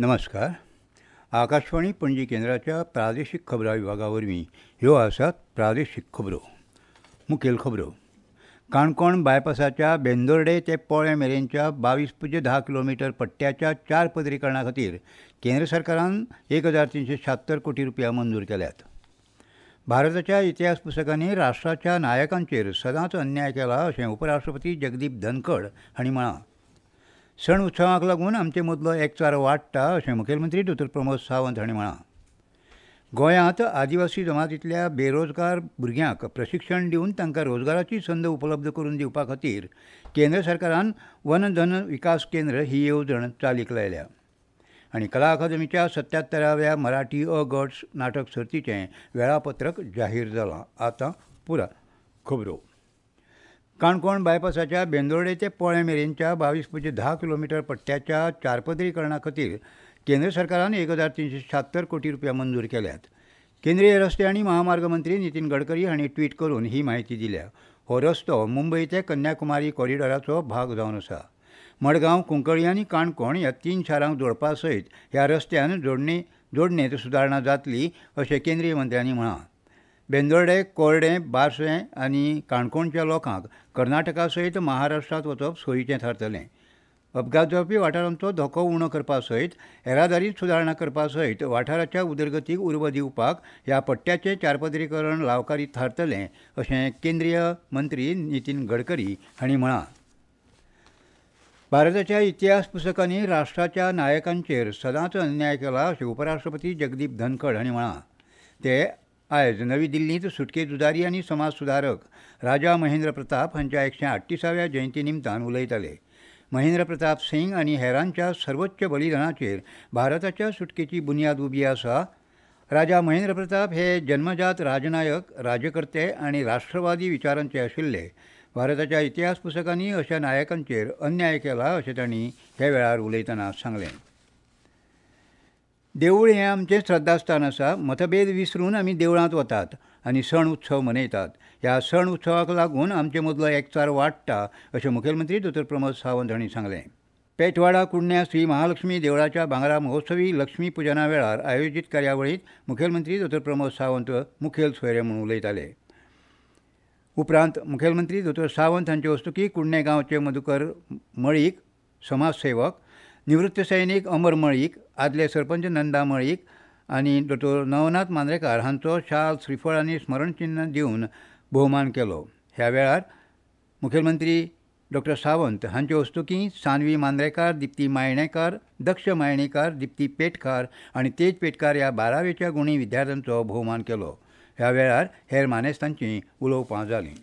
नमस्कार. आकाशवाणी पणजी केंद्राच्या प्रादेशीक खबरां विभागा वरवीं ह्यो आसात प्रादेशीक खबरो. मुखेल खबरो. काणकोण बायपासाच्या बेंदोर्डे ते पोळें मेरेनच्या 22.10 किलोमिटर पट्ट्याच्या 4 पदरीकरणा खातीर केंद्र सरकारान 1376 कोटी रुपया मंजूर केल्यात. भारताच्या इतिहास पुस्तकांनी राष्ट्राच्या नायकांचेर सदांच अन्याय केला अशें उपराष्ट्रपती जगदीप धनखड हांणी म्हळां. सण उत्सवाक लागून आमचे मदलो एकचार वाडटा अशें मुखेलमंत्री डॉ प्रमोद सावंत हांणी म्हळां. गोंयांत आदिवासी जमातींतल्या बेरोजगार भुरग्यांक प्रशिक्षण दिवन तांकां रोजगाराची संद उपलब्ध करून दिवपा खातीर केंद्र सरकारान वन धन विकास केंद्र ही येवजण चालीक लायल्या. आनी कला अकादमीच्या 77व्या मराठी अ गट नाटक सर्तीचें वेळापत्रक जाहीर जालां. आतां पुरा खबरो. काणकोण बायपासाच्या बेंदोर्डे ते पोळें मेरेनच्या 22.10 किलोमिटर पट्ट्याच्या चारपदरीकरणा खातीर केंद्र सरकारान 1376 कोटी रुपया मंजूर केल्यात. केंद्रीय रस्ते आनी महामार्ग मंत्री नितीन गडकरी हांणी ट्वीट करून ही म्हायती दिल्या. हो रस्तो मुंबय ते कन्याकुमारी कॉरिडॉराचो भाग जावन आसा. मडगांव, कुंकळी आनी काणकोण ह्या 3 शारांक जोडपा सयत ह्या रस्त्यान जोडणेंत सुदारणा जातली अशें केंद्रीय मंत्र्यांनी म्हळां. बेंदोर्डे, कोर्डें, बार्शें आनी काणकोणच्या लोकांक कर्नाटका सयत महाराष्ट्रांत वचप सोयीचें थारतलें. अपघात जावपी वाठारांचो धोको उणो करपा सयत येरादारींत सुदारणा करपा सयत वाठाराच्या उदरगतीक उर्बा दिवपाक ह्या पट्ट्याचें चारपदरीकरण लावकारी थारतलें अशें केंद्रीय मंत्री नितीन गडकरी हांणी म्हळां. भारताच्या इतिहास पुस्तकांनी राष्ट्राच्या नायकांचेर सदांच अन्याय केला अशें उपराष्ट्रपती जगदीप धनखड हांणी म्हळां. ते आयज नवी दिल्लींत सुटके झुजारी आनी समाज सुदारक राजा महेंद्र प्रताप हांच्या 138व्या जयंती निमतान उलयताले. महेंद्र प्रताप सिंग आनी हेरांच्या सर्वोच्च बलिदानाचेर भारताच्या सुटकेची बुन्याद उबी आसा. राजा महेंद्र प्रताप हे जन्मजात राजनायक, राजकर्ते आनी राष्ट्रवादी विचारांचे आशिल्ले. भारताच्या इतिहास पुस्तकांनी अशा नायकांचेर अन्याय केला अशें तांणी ह्या वेळार उलयतना सांगलें. देवूळ हें आमचें श्रद्धास्थान आसा. मतभेद विसरून आमी देवळांत वतात आनी सण उत्सव मनयतात. ह्या सण उत्सवाक लागून आमचे मदलो एकचार वाडटा अशें मुखेलमंत्री डॉ प्रमोद सावंत हांणी सांगलें. पेटवाडा कुडण्या श्री महालक्ष्मी देवळाच्या भांगरा महोत्सवी लक्ष्मी पुजना वेळार आयोजीत कार्यावळींत मुखेलमंत्री डॉ प्रमोद सावंत मुखेल सोयरे म्हूण उलयताले. उपरांत मुखेलमंत्री डॉ सावंत हांचे हस्तुकीं कुडणे गांवचे मधुकर मळीक, समाजसेवक, निवृत्त सैनीक अमर मळीक, आदले सरपंच नंदा मळीक आनी डॉ नवनाथ मांद्रेकार हांचो शाल, श्रीफळ आनी स्मरणचिन्ह दिवन भोवमान केलो. ह्या वेळार मुखेलमंत्री डॉ सावंत हांचे हस्तुकीं सानवी मांद्रेकार, दिप्ती मायणेकार, दक्ष मायणेकार, दिप्ती पेटकार आनी तेज पेटकार ह्या 12वेच्या गुणी विद्यार्थ्यांचो भोवमान केलो. ह्या वेळार हेर मानेस्तांचीं उलोवपां जालीं.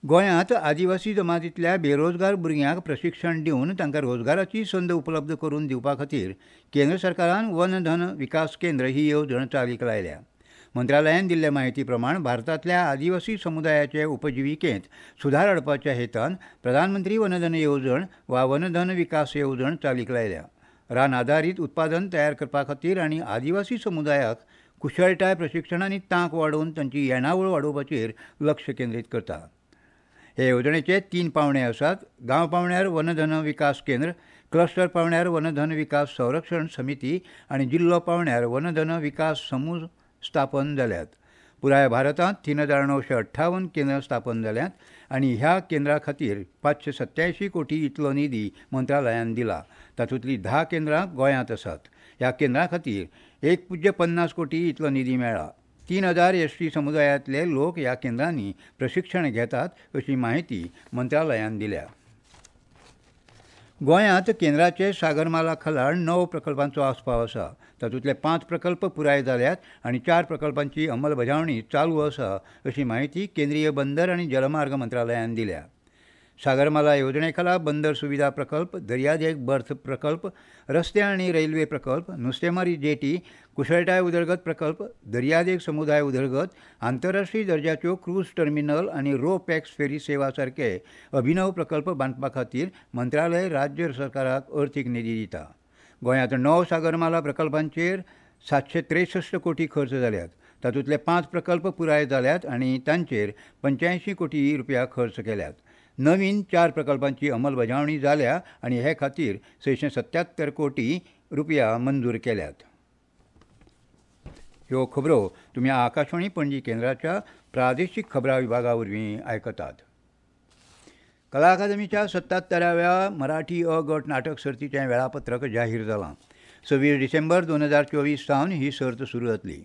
गोंयांत आदिवासी जमातींतल्या बेरोजगार भुरग्यांक प्रशिक्षण दिवन तांकां रोजगाराची संद उपलब्ध करून दिवपा खातीर केंद्र सरकारान वन धन विकास केंद्र ही येवजण चालीक लायल्या. मंत्रालयान दिल्ले म्हायती प्रमाण भारतांतल्या आदिवासी समुदायाचे उपजिविकेंत सुदार हाडपाच्या हेतान प्रधानमंत्री वनधन येवजण वा वनधन विकास येवजण चालीक लायल्या. रान आदारीत उत्पादन तयार करपा खातीर आनी आदिवासी समुदायाक कुशळटाय प्रशिक्षण आनी तांक वाडोवन तांची येणावळ वाडोवपाचेर लक्ष केंद्रीत करता. हे येवजणेचे 3 पावंडे आसात. गांव पावंड्यार वनधन विकास केंद्र, क्लस्टर पावंड्यार वनधन विकास संरक्षण समिती आनी जिल्लो पावंड्यार वनधन विकास समूह स्थापन जाल्यात. पुराय भारतांत 3958 केंद्रां स्थापन जाल्यात आनी ह्या केंद्रा खातीर 587 कोटी इतलो निधी मंत्रालयान दिला. तातूंतलीं 10 केंद्रां गोंयांत आसात. ह्या केंद्रां खातीर 1.50 कोटी इतलो निधी मेळ्ळा. 3000 एसटी समुदायांतले लोक ह्या केंद्रांनी प्रशिक्षण घेतात अशी म्हायती मंत्रालयान दिल्या. गोंयांत केंद्राचे सागरमाला खाला 9 प्रकल्पांचो आस्पाव आसा. तातूंतले 5 प्रकल्प पुराय जाल्यात आनी 4 प्रकल्पांची अंमलबजावणी चालू आसा अशी म्हायती केंद्रीय बंदर आनी जलमार्ग मंत्रालयान दिल्या. सागरमाला येवजणे खाला बंदर सुविधा प्रकल्प, दर्यादेग बर्थ प्रकल्प, रस्ते आनी रेल्वे प्रकल्प, नुस्तेमारी जेटी, कुशळटाय उदरगत प्रकल्प, दर्यादेग समुदाय उदरगत, आंतरराष्ट्रीय दर्जाच्यो क्रूज टर्मिनल आनी रो पॅक्स फेरी सेवा सारके अभिनव प्रकल्प बांदपा खातीर मंत्रालय राज्य सरकाराक अर्थीक निधी दिता. गोंयांत 9 सागरमाला प्रकल्पांचेर 763 कोटी खर्च जाल्यात. तातूंतले 5 प्रकल्प पुराय जाल्यात आनी तांचेर 85 कोटी रुपया खर्च केल्यात. नवीन 4 प्रकल्पांची अंमलबजावणी जाल्या आनी हे खातीर 677 कोटी रुपया मंजूर केल्यात. ह्यो खबरो तुमी आकाशवाणी पणजी केंद्राच्या प्रादेशीक खबरां विभागा वरवीं आयकतात. कला अकादमीच्या 77व्या मराठी अ गट नाटक सर्तीचें वेळापत्रक जाहीर जालां. 26 डिसेंबर 2024 सावन ही सर्त सुरू जातली.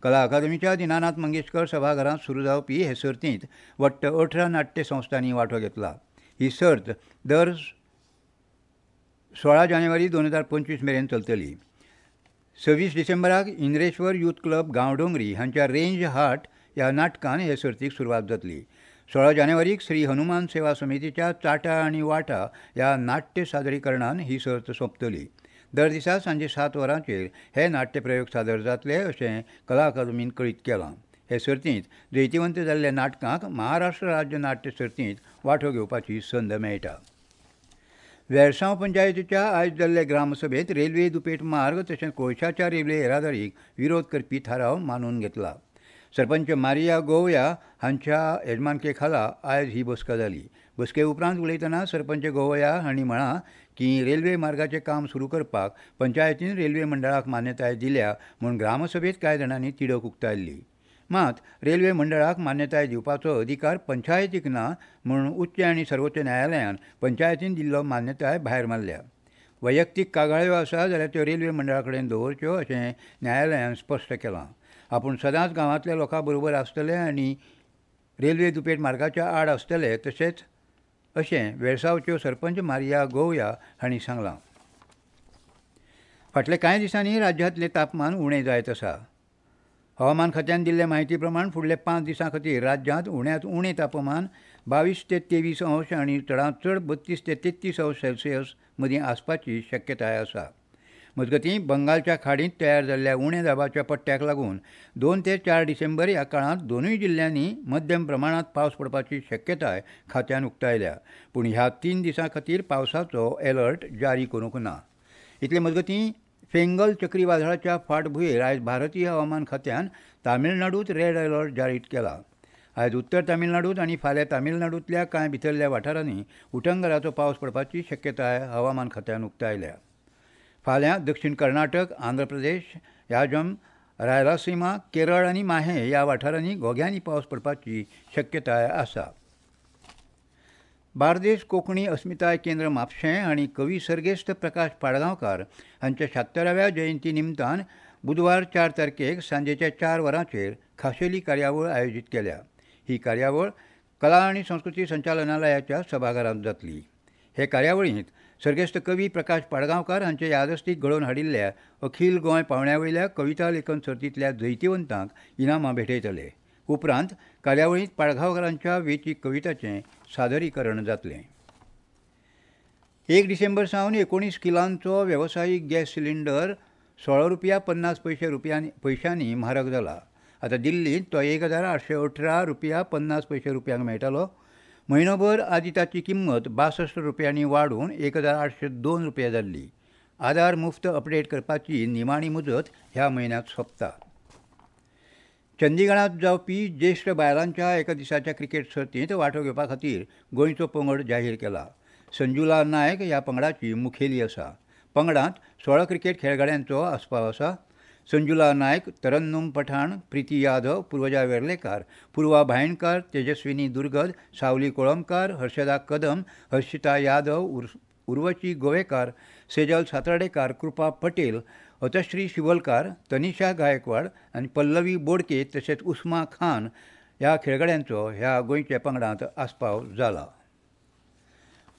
कला अकादमीच्या दीनानाथ मंगेशकर सभाघरांत सुरू जावपी हे सर्तींत वट्ट 18 नाट्य संस्थांनी वांटो घेतला. ही सर्त दर 16 जानेवारी 2025 मेरेन चलतली. 26 डिसेंबराक इंद्रेश्वर यूथ क्लब गांवडोंगरी हांच्या रेंज हार्ट ह्या नाटकान हे सर्तीक सुरवात जातली. 16 जानेवारीक श्री हनुमान सेवा समितीच्या चाटा आनी वाटा ह्या नाट्य सादरीकरणान ही सर्त सोंपतली. दर दिसा सांजे 7 वरांचेर हे नाट्यप्रयोग सादर जातले अशें कला अकादमीन कळीत केलां. हे सर्तींत जैतिवंत जाल्ल्या नाटकांक महाराष्ट्र राज्य नाट्य सर्तींत वांटो घेवपाची संद मेळटा. वेळसांव पंचायतीच्या आयज जाल्ले ग्रामसभेंत रेल्वे दुपेट मार्ग तशेंच कोळशाच्या रेल्वे येरादारीक विरोध करपी थाराव मानून घेतला. सरपंच मारिया गोवया हांच्या येजमानके खाला आयज ही बसका जाली. बसके उपरांत उलयतना सरपंच गोवया हांणी म्हळां की रेल्वे मार्गाचें काम सुरू करपाक पंचायतीन रेल्वे मंडळाक मान्यताय दिल्या म्हूण ग्रामसभेंत कांय जाणांनी तिडक उक्तायल्ली. मात रेल्वे मंडळाक मान्यताय दिवपाचो अधिकार पंचायतीक ना म्हूण उच्च आनी सर्वोच्च न्यायालयान पंचायतीन दिल्लो मान्यताय भायर मारल्या. वैयक्तीक कागाळ्यो आसा जाल्यार त्यो रेल्वे मंडळा कडेन दवरच्यो अशें न्यायालयान स्पश्ट केलां. आपूण सदांच गांवांतल्या लोकां बरोबर आसतले आनी रेल्वे दुपेट मार्गाच्या आड आसतले तशेंच अशें वेळसांवच्यो सरपंच मारिया गोवया हांणी सांगलां. फाटल्या कांय दिसांनी राज्यांतलें तापमान उणें जायत आसा. हवामान खात्यान दिल्ले म्हायती प्रमाण फुडल्या 5 दिसां खातीर राज्यांत उण्यांत उणें तापमान 22 ते 23 अंश आनी चडांत चड 32 ते 33 अंश सेल्सियस मदीं आसपाची शक्यताय आसा. मजगतीं बंगालच्या खाडींत तयार जाल्ल्या उण्या दाबाच्या पट्ट्याक लागून 2 ते 4 डिसेंबर ह्या काळांत दोनूय जिल्ल्यांनी मध्यम प्रमाणांत पावस पडपाची शक्यताय खात्यान उक्तायल्या. पूण ह्या 3 दिसां खातीर पावसाचो अलर्ट जारी करूंक ना. इतले मजगतीं फेंगल चक्रीवादळाच्या फाटभुंयेर आयज भारतीय हवामान खात्यान तामिळनाडूंत रेड अलर्ट जारी केला. आयज उत्तर तामिळनाडूंत आनी फाल्यां तामिळनाडूंतल्या कांय भितरल्या वाठारांनी उटंगराचो पावस पडपाची शक्यताय हवामान खात्यान उक्तायल्या. फाल्यां दक्षिण कर्नाटक, आंध्र प्रदेश, याजम, रायलासीमा, केरळ आनी माहे ह्या वाठारांनी घोग्यांनी पावस पडपाची शक्यताय आसा. बार्देस कोंकणी अस्मिताय केंद्र म्हापशें आनी कवी सर्गेस्त प्रकाश पाडगांवकार हांच्या 76व्या जयंती निमतान बुधवार 4 तारखेक सांजेच्या 4 वरांचेर खाशेली कार्यावळ आयोजीत केल्या. ही कार्यावळ कला आनी संस्कृती संचालनालयाच्या सभाघरांत जातली. हे कार्यावळींत सर्गेस्त कवी प्रकाश पाडगांवकार हांचे यादस्तीक घडोवन हाडिल्ल्या अखील गोंय पावंड्या वयल्या कविता लेखन सर्तींतल्या जैतिवंतांक इनामां भेटयतले. उपरांत कार्यावळींत पाडगांवकारांच्या वेंचीक कविताचें सादरीकरण जातलें. 1 डिसेंबर सावन 19 किलांचो वेवसायीक गॅस सिलिंडर 16 रुपया 50 पयशांनी म्हारग जाला. आतां दिल्लींत तो 1818 रुपया 50 पयशे रुपयांक मेळटालो. म्हयनोभर आदीं ताची किंमत 62 रुपयांनी वाडून 1802 रुपया जाल्ली. आधार मुफ्त अपडेट करपाची निमाणी मुजत ह्या म्हयन्यांत सोंपता. चंदीगडांत जावपी ज्येश्ठ बायलांच्या एका दिसाच्या क्रिकेट सर्तींत वांटो घेवपा खातीर गोंयचो पंगड जाहीर केला. संजुला नायक ह्या पंगडाची मुखेली आसा. पंगडांत 16 क्रिकेट खेळगड्यांचो आस्पाव आसा. संजुला नायक, तरन्नुम पठाण, प्रिती यादव, पूर्वजा वेर्लेकार, पूर्वा भायणकार, तेजस्विनी दुर्गद, सावली कोळंबकार, हर्षदा कदम, हर्षिता यादव, उर्वशी गोवेकार, सेजल सातार्डेकार, कृपा पटेल, अतश्री शिवलकार, तनिषा गायकवाड आनी पल्लवी बोडके तशेंच उस्मा खान ह्या खेळगड्यांचो ह्या गोंयच्या पंगडांत आस्पाव जाला.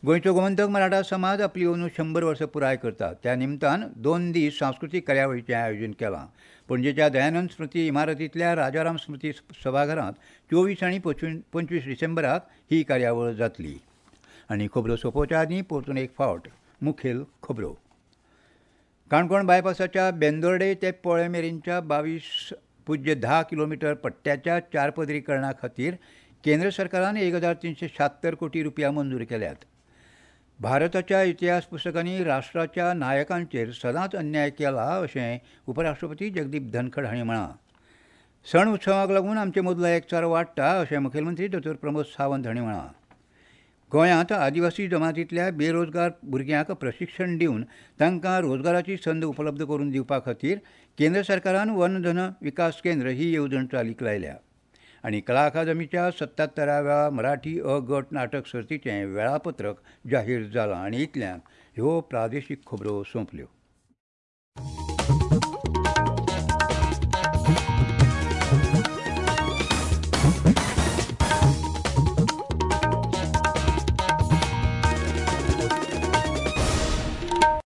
गोंयचो गोमंतक मराठा समाज आपली अंदू 100 वर्सां पुराय करता. त्या निमतान 2 दीस सांस्कृतीक कार्यावळीचें आयोजन केलां. पणजेच्या दयानंद स्मृती इमारतींतल्या राजाराम स्मृती सभाघरांत 24 आनी 25 डिसेंबराक ही कार्यावळ जातली. आनी खबरो सोंपोवच्या आदीं परतून एक फावट मुखेल खबरो. काणकोण बायपासाच्या बेंदोर्डे ते पोळे मेरेनच्या 22.10 किलोमिटर पट्ट्याच्या चारपदरीकरणा खातीर केंद्र सरकारान 1376 कोटी रुपया मंजूर केल्यात. भारताच्या इतिहास पुस्तकांनी राष्ट्राच्या नायकांचेर सदांच अन्याय केला अशें उपराष्ट्रपती जगदीप धनखड हांणी म्हळां. सण उत्सवाक लागून आमचे मदलो एकचार वाडटा अशें मुखेलमंत्री दोतोर प्रमोद सावंत हांणी म्हळां. गोंयांत आदिवासी जमातींतल्या बेरोजगार भुरग्यांक प्रशिक्षण दिवन तांकां रोजगाराची संद उपलब्ध करून दिवपा खातीर केंद्र सरकारान वन धन विकास केंद्र ही येवजण चालीक लायल्या. आनी कला अकादमीच्या 77व्या मराठी अ गट नाटक सर्तीचें वेळापत्रक जाहीर जालां. आनी इतल्यान ह्यो प्रादेशीक खबरो सोंपल्यो.